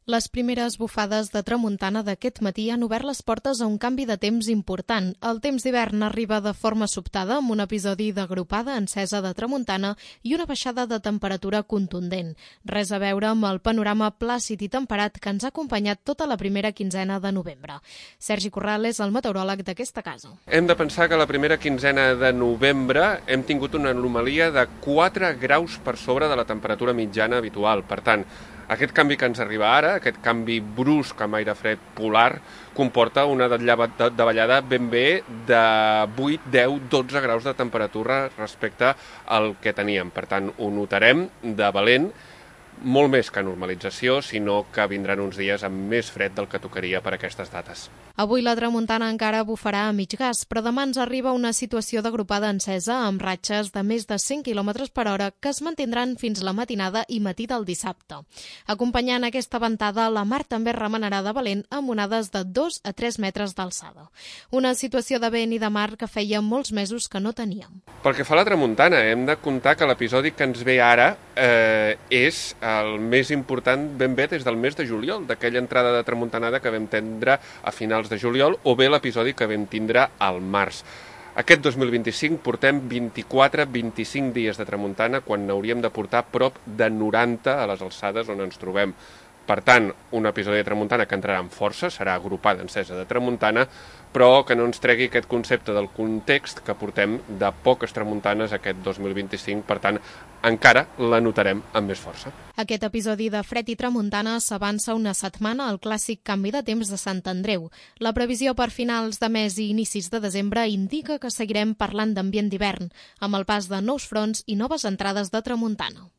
Les primeres bufades de tramuntana d'aquest matí han obert les portes a un canvi de temps important. El temps d'hivern arriba de forma sobtada amb un episodi d'agrupada encesa de tramuntana i una baixada de temperatura contundent. Res a veure amb el panorama plàcid i temperat que ens ha acompanyat tota la primera quinzena de novembre. Sergi Corral és el meteoròleg d'aquesta casa. Hem de pensar que la primera quinzena de novembre hem tingut una anomalia de 4 graus per sobre de la temperatura mitjana habitual. Per tant, aquest canvi que ens arriba ara, aquest canvi brusc amb aire fred polar, comporta una davallada ben bé de 8, 10, 12 graus de temperatura respecte al que teníem. Per tant, ho notarem de valent, molt més que normalització, sinó que vindran uns dies amb més fred del que tocaria per aquestes dates. Avui la tramuntana encara bufarà a mig gas, però demà ens arriba una situació d'agrupada encesa amb ratxes de més de 100 km per hora que es mantindran fins la matinada i matí del dissabte. Acompanyant aquesta ventada, la mar també remenarà de valent amb onades de 2 a 3 metres d'alçada. Una situació de vent i de mar que feia molts mesos que no teníem. Pel que fa a la tramuntana, hem de comptar que l'episodi que ens ve ara és el més important ben bé des del mes de juliol, d'aquella entrada de tramuntanada que vam tindre a finals de juliol, o bé l'episodi que vam tindre al març. Aquest 2025 portem 24-25 dies de tramuntana quan n'hauríem de portar prop de 90 a les alçades on ens trobem. Per tant, un episodi de tramuntana que entrarà amb força, serà agrupada encesa de tramuntana, però que no ens tregui aquest concepte del context que portem de poques tramuntanes aquest 2025, per tant, encara la notarem amb més força. Aquest episodi de fred i tramuntana s'avança una setmana al clàssic canvi de temps de Sant Andreu. La previsió per finals de mes i inicis de desembre indica que seguirem parlant d'ambient d'hivern, amb el pas de nous fronts i noves entrades de tramuntana.